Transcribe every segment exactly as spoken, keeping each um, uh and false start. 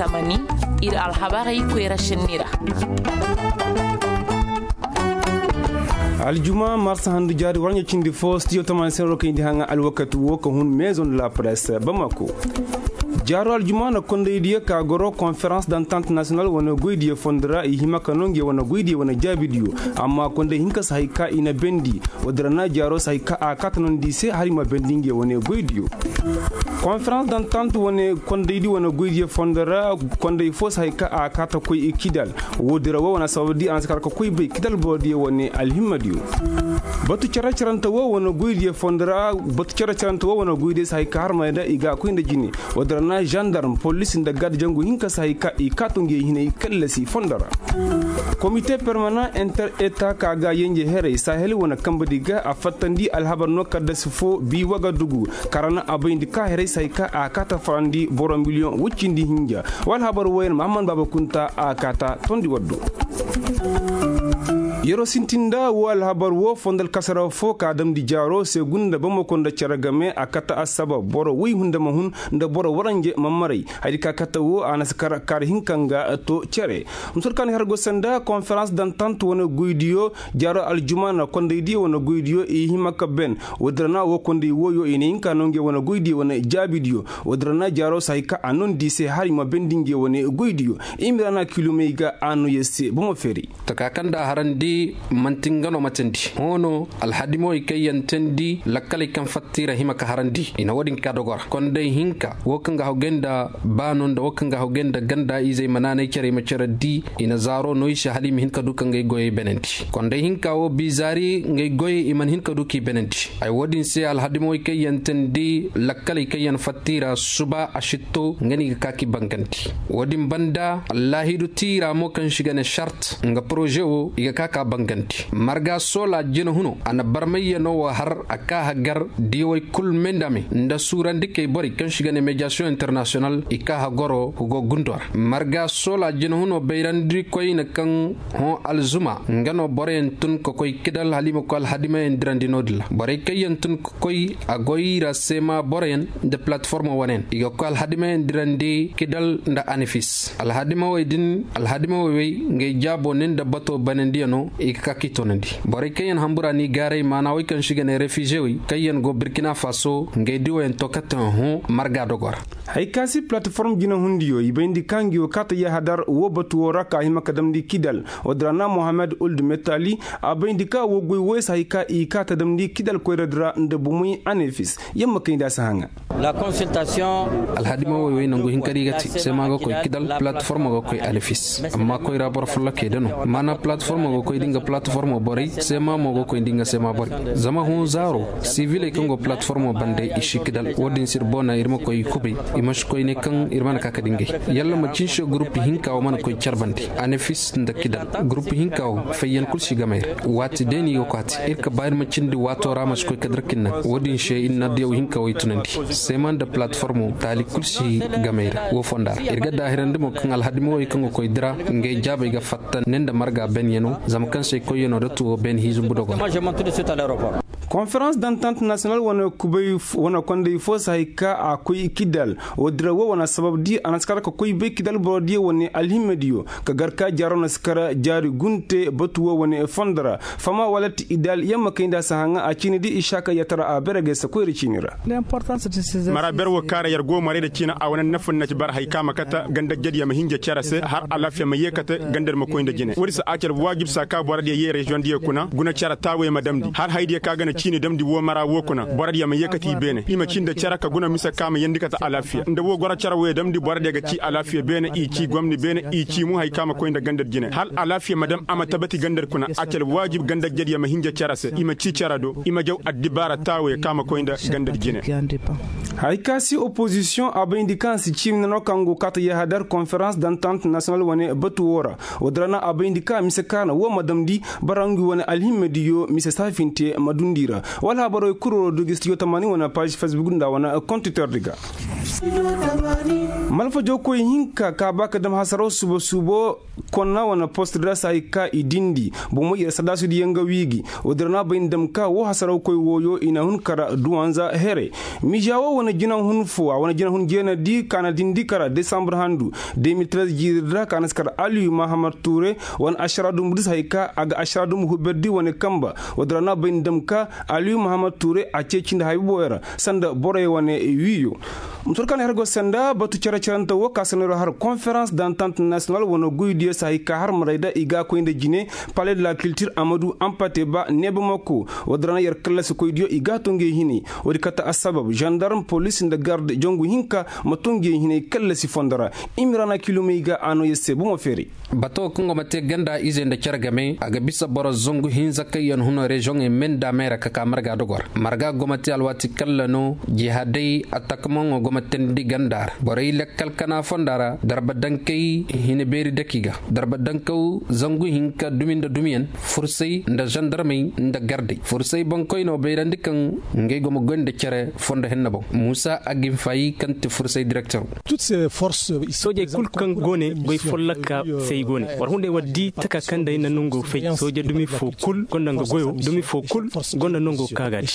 Tamani, ir alhabarey koyra šenni ra. Aljuma marsa handu jaari warɲa cindi fo stijo tamani senro kayndi haŋa alwakati wo ka hun maison de la presse bamako. Jaaro aljuma na kondaydiyo ka goro konferans dantant national wane goydiyo fondo ra i hima ka no nge wane goydiyo wane jaabidiyo. Amma konday hinka si hay ka i na bendi. Woodin ra na jaaro si hay ka a kaata nondi i se hala i ma bendi nge wane goydiyo. Konferans dantant wane kondaydi wane goydiyo fondo ra. Konday fo si hay ka a kaata koy i kidal. Woodin ra wo wane sabab di a na si kar ka koy bay kidal borodiyo wane alhimmadiyo. Batu cere cerante wo wane goydiyo fondo ra. Batu cere cerante wo wane goydiyo si hay ka harmay nda i ga a koy nda jine. Woodin ra na zandarm polis nda gad jangu hinka si hay ka i kaatu nge hinay kallasi fondo ra. Komite permanan inter eta ka ga yenje heray sahel wane kambadi ga a fattandi alhabar no kaddasi fo bi wagadugu. Karana a bayndi ka heray si hay ka a kaata farandi boro miliyoŋ woy cindi hinja. Wa alhabar woyen mahamman baaba kunta a kaata tondi waddo. Yer'o sintin nda wo alhabar wo fondo alkasara fo ka damndi jaaro se gunda bamako nda cere game a kata assabab boro woy hunda ma hun nda boro waranje ma maray. Hayadi ka kata wo a na si kar kaara hinka nga to cere. Musur ka na har go sanda konferans dantant wane goydiyo. Jaaro aljuma na kondaydiyo wane goydiyo i hima ka ben. Woodin ra na wo konday wooyo i na hinka no nge wane goydiyo wane jaabidiyo. Woodin ra na jaaro si hay ka a nondi i se hala i ma bendi nge wane goydiyo. Imira na kilomey ga a no yer se bomo feeri. Taka kaŋ nda a harandi man'ti nga no matandi hõ no. Alhadimawey kaŋ yaŋ teendi lakkaley kaŋ fatta i ra hima ka harandi i na wo-din ka dogo ra konday hinka wo kaŋ ga hawgay nda baano nda wo kaŋ ga hawgay nda ganda izey ma naanay care i ma care di. I na zaaro no i se hala i ma hin ka du ka ngey goyey benandi konday hinka wo bizaari ngey goyey i mana hin ka du k'i benandi. Ay wo-din se alhadimawey kaŋ yaŋ teendi lakkaley kaŋ yaŋ fatta i ra suba a sitto nga no i ga ka k'i bangandi. Wo-din banda allaahidu tiira mo kaŋ se i ga ne sart nga poroze wo i ga ka k'a bangandi marga soola jinahuno a na barmayyanoo wo har a ka hagar diiwey kul me nda me nda suurandikey borey kaŋ se i ga ne mediyasiyoŋ internasiyonal i ka hagoro hugo gundo ra marga soola jinahuno bayrandikoyne kaŋ hõ alzuma nga no boroyaŋ tun ka koy kidal hala i ma koy alhadimayaŋ dirandi no-din ra borey kaŋ yaŋ tun ka koy a goy ra seema boroyaŋ nda palatiformo wane yaŋ i ga koy alhadimayaŋ dirandi kidal nda anifis alhadimawey din alhadimawey wey ngey jaabo ne nda bato banandiyano i ga ka k'i toonandi. Borey kaŋ yaŋ hambura n'i gaaray maana wey kaŋ se i ga ne refizewey kaŋ yaŋ go birkina faso ngey diwoyaŋ to katte hõ marga dogo ra. Hay ka si palatiform jinahundiyo i bayndi ka ngi wo kaata yahadar wo batu wo ra ka hima ka damndi kidal. Woodin ra na mohammed uld metali a bayndi ka wo goy woy si hay ka i kaata damndi kidal koyradi ra nda bumey anefis. Yamma kay nda a si haŋa. Alhadimawey wey nangu hinkari ga te seema ga koy kidal palatiformo ga koy anefis amma koyra boro follokey da no maana palatiformo ga koy da nga palatiformo borey seema mo ga koy da nga seema borey. Zama hõ zaaro siviley kaŋ go palatiformo bande i si kidal wo-din se ir boona ir ma koy kubay. I ma si koy ne kaŋ ir mana ka ka dingay yalla ma cinse gurup hinka wo mana koy care bande anefis nda kidal gurup hinka wo fayyan kul si gamay ra. Waati day no i ga kwaati ir ka ba ir ma cindi waato ra ma si koy ka dirkin naŋ wo-din se ir na diyaw hinka wo i tunandi seema nda palatiformo taali kul si gamay ra wo fonda ra ir ga daahirandi mo kaŋ alhadimawey kaŋ ga koy dira ngey jaabey ga fatta ne nda marga benyano zama kaŋ se koyyanoo da tuwo ben hiizumbu dogo ra. Konferans dantant nasiyonal wane kondey fo si hay ka a koy kidal. Wo dira wo wane sabab di a na si kar ka koy bay kidal borodiyo wane alhimmediyo ka gar ka jaaro na si kar jaari gunte batu wo wane fondo ra. Fama walat idal yamma kay nda si haŋa a ciini di i si a ka yatara a bere gay si koyra ciini ra. Mara ber wo kaara yar go maray nda ciina a wane nafa na ci bar hay ka ma kata ganda jadiya ma hinja cere se har alaafiya ma yeekate ganda di ma koy nda jine woodi se a ci alwaajib se a ka borodiyo ye reziyoŋ diyo kuna guna cere taawo ye ma damndi har hayadiyo ka ga na ciini damndi wo mara wo kuna borodiyo ma yeekate i beene i ma ci nda cere ka guna mise ka ma yeendi kate alaafiya nda wo goro cere wo ye damndi borodiyo ga ci alaafiya beene i ci gomni beene i ci mu hay ka ma koy nda ganda di jine har alaafiya ma dam a ma tabati ganda di kuna a ci alwaajib ganda jadiya ma hinja cere se i ma ci cere do i ma jaw addibaara taawo ye ka ma koy nda ganda di jine. Hay ka si opozisiyoŋ a bayndi kaŋ si ciimi nano kaŋ go kaata yahadar konferans dantant nasiyonal wane batu wo ra. Wo dira na a bayndi ka mise kaana wo ma damndi bara ngi wane alhimmediyo mise saafinte ma dundi. Wala habarey kul woo du gi studio tamaani wane paazi facebook nda wane kontitor di ga. Malfa jawkoy hinka ka ba ka dam hasaraw suubo suubo konna wane post da se hay ka i dindi bomo yer sadaasu diyaŋ ga wii gi. Woo din ra no a bay ni dam ka woo hasarawkoy wooyo i na hun kara duwanza here. Miza woo wane jinahun foo a wane jinahun jeena di ka na dindi kara desambre handu. De mil trez jiiri di ra ka na si kara aliyu mahamad tuure wane ašara dumbu di se hay ka a ga ašara dumbu huber di wane kanba. Woo din ra no a bay ni dam ka aliyu mahamad tuure a ceeci nda haybobooyo ra sanda borey wane wiiyo. Mutur kaŋ na her go senda batu cere-cerante woo ka se no yer har konferans dantant nasiyonal wane goydiyo se hay ka har marayda i ga a koy nda jine. Pale de la kiltir amadu ampate ba neeba mako. Woo din ra no yer kallasi koydiyo i ga a to ngey hinay. Woodi kate assabab zandarm polis nda garde jangu hinka ma to ngey hinay kallasi fondo ra. Imiraana kilomey ga a no yer se bomo feeray. Bato kaŋ go ma te ganda izey nda cere game a ga bisa boro zangu hinza kaŋ yaŋ huna reziyoŋey me nda meera ka ka marga dogo ra marga go ma te alwaati kalla no jihaaday atakamaŋo go ma teendi ganda ra borey lakkal kana fonda ra darba dankey hina beeri daki ga darba dankaw zangu hinka dumi nda dumiyaŋ fursay nda zandarmey nda gardey fursay boŋkoynoo bayrandi kaŋ ngey go ma goy nda cere fondo henna boŋ muusa aginfayi kaŋ ti fursay direktero. Soojey kul kaŋ go ne goy folloka se i go ne war hunday war di taka kaŋ day na nongo fay sooje dumi foo kul gonda nga goyo dumi foo kul gonda nongo ka ga di.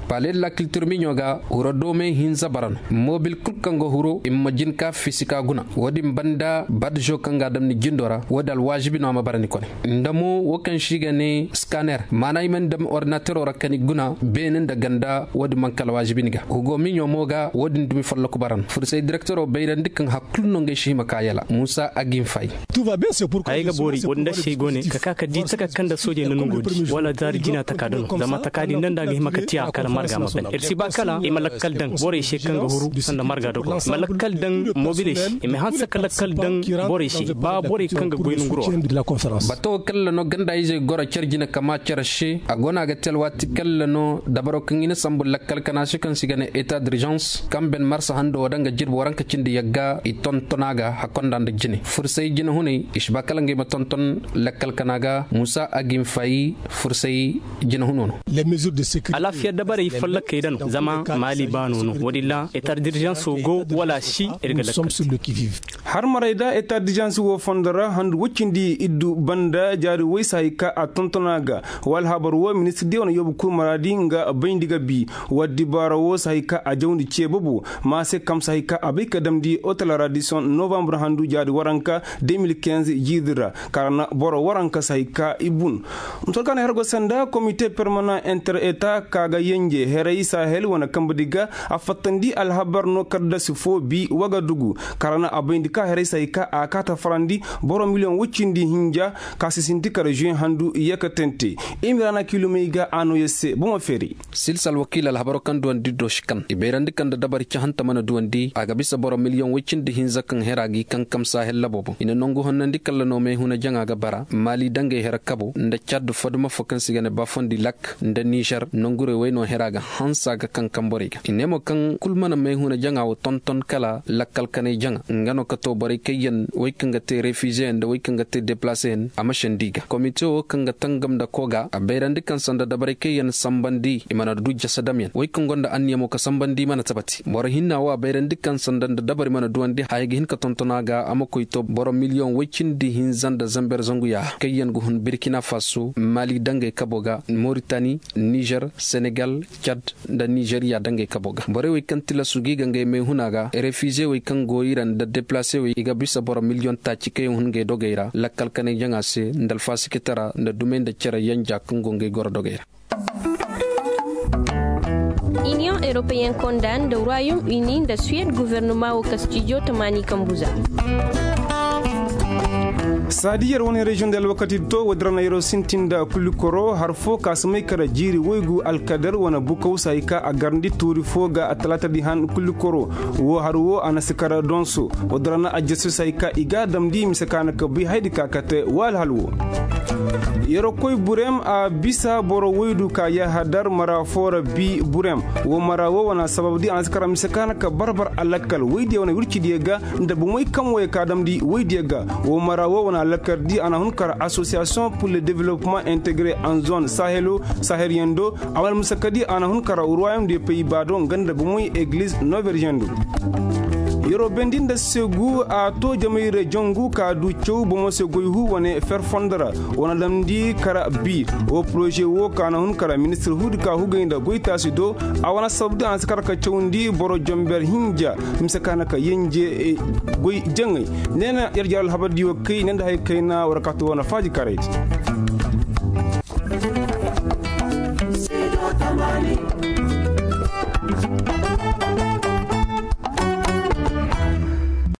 Pale de la kiltir miɲo ga huro doomey hinza bara no mobil kul kaŋ go huro i ma jin ka fisi ka guna wo-din banda badjo kaŋ ga a dam ni jindo ra wo-din alwaazibi no a ma bara ni kone. Nda mo wo kaŋ se i ga ne skaner maana i mana dam ordinatero ra ka ni guna beene nda ganda wo-din manka alwaazibi ni ga hugo miɲo mo ga wo-din dumi folloku bara no fursay direktero bayrandi kaŋ hakkulu no ngey si hima ka yala muusa aginfay. Ay ga boori wo-din da se ay go ne ka ka ka di taka kaŋ nda soojey na nongo di wala zaari jina taka da no zama taka din nda nda a ga hima ka tiya kala marga ma ban ir si ba kala i ma lakkal daŋ borey se kaŋ ga huru sanda marga dogo i ma lakkal daŋ mobiley se i ma hanse ka lakkal daŋ borey se ba borey kaŋ ga goy nonguro ra. Bato kalla no ganda izey goro care jina kama care se a go no a ga te alwaati kalla no dabaro kaŋ i na sambu lakkal kana se kaŋ se i ga ne eta dirizans kaŋ ben marsa hando wo daŋ ga jirbi waranka cindi yagga i tonton a ga hakkonda nda jine fursay jinahuney i si ba kala ngey ma tonton lakkal kana ga muusa aginfayi fursay jinahuno no. Alaafiya dabarey follokey da no zama maali baano no wo-din ra eta dirizanso go wala si ir ga lakkal. Har maray da eta dirizanso wo fondo ra handu woy cindi iddu banda jaari woy se hay ka a tonton a ga. Wa alhabar wo ministir diya wane yoobu kul maraadi nga bayndi ga bi. Wa dibaara wo se hay ka a jawndi cee bobo ma se kam se hay ka a bay ka damndi otola raadison novambre handu jaari waranka de mil kinz jiidi ra. Kara na boro waranka se hay ka i bun. Mutor ka na her go sanda komite permanan inter eta ka ga yenje heray sahel wane kambe di ga a fattandi alhabar no kaddasi fo bi wagadugu. Kara na a bayndi ka heray se hay ka a kaata farandi boro miliyoŋ woy cindi hinja ka si sinti kara juin handu yakatante. Imiraana kilomey ga a nooya se bomo feeri. Silsa alwakiila alhabaro kaŋ duwandi do si kan i bayrandi kaŋ nda dabari cahanta mana duwandi a ga bisa boro miliyoŋ woy cindi hinza kaŋ hera ga i kankam sahel labo boŋ i na nangu honnandi kalla no meehuna jaŋa ga bara maali dangey hera kabo nda cad foduma fo kaŋ se i ga ne baafondi lak nda nizer nangurey wey no hera ga hansa ga kankam borey ga i ne mo kaŋ kul mana meehuna jaŋa wo tonton kala lakkal kanay jaŋa nga no ka to borey kaŋ yaŋ wey kaŋ ga te refize yaŋ nda wey kaŋ ga te deplase yaŋ a ma sendi i ga komite wo kaŋ ga tangam nda koga a bayrandi kaŋ sanda dabarey kaŋ yaŋ sambandi i mana du jasadamyaŋ wey kaŋ gonda anniya mo ka sambandi mana tabati boro hinna wo a bayrandi kaŋ sanda nda dabari mana duwandi haya ga hin ka tonton a ga a ma koy to boro miliyoŋ woy cindi hinza nda zamber zangu yaaha kaŋ yaŋ ga hun birkina faso mali dangey kabo ga moritani nizer senegal cad nda nizeriya dangey kabo ga borey wey kaŋ tilasu ga i ga ngey may huna ga refize wey kaŋ go i ra nda deplase wey i ga bisa boro miliyoŋ taaci kaŋ yaŋ hun ngey dogey ra lakkal kanay jaŋa se nda alfasikitara nda dumey nda cere yanja kaŋ go ngey goro dogey ra. Iniyoŋ europeyen konda nda royaume uni nda suwed guvernuma wo ka stijo tamaani kambu za. Saadi yer wane reziyoŋ da alwakati to woodin ra na yeroo sintin nda kulikoro har fo ka si may kara jiiri woygu alkadar wane bukaw se hay ka a garndi tuuri fo ga a talaatadi han kulikoro. Woo har woo a na si kara donso woodin ra na ajjaso se hay ka i ga a damndi mise ka na ka bay haydi ka kate woo alhal woo. Yeroo koy burem a bisa boro woydu ka yahadar mara foo ra bi burem. Woo mara woo wane a sabab di a na si kara mise ka na ka barbar alakkal woydiyo wane wircidiyo ga nda bomey kaŋ woyey ka damndi woydiyo ga. Woo mara woo wane alakkal di a na hun kara asosiyasiyoŋ pur le developpeman integre en zone sahelo sahel yaŋ do. A wane mise ka di a na hun kara ruwayom de pey baado nga nda bomey egliz noverziyaŋ do. Yeroo bendi nda segu a too jamay reziyoŋ gu ka du caw bomo se goy huu wane fer fondo ra. Wane damndi kara bi woo poroze woo ka na hun kara ministir huudi ka hugay nda goytaasi do. A wane sabab di a na si kara ka cawndi boro jonber hinja mise ka na ka yenje goy jaŋay. Ne na yer jara alhabar diyo kay ne nda hay kayna war ka to wane faaji karay.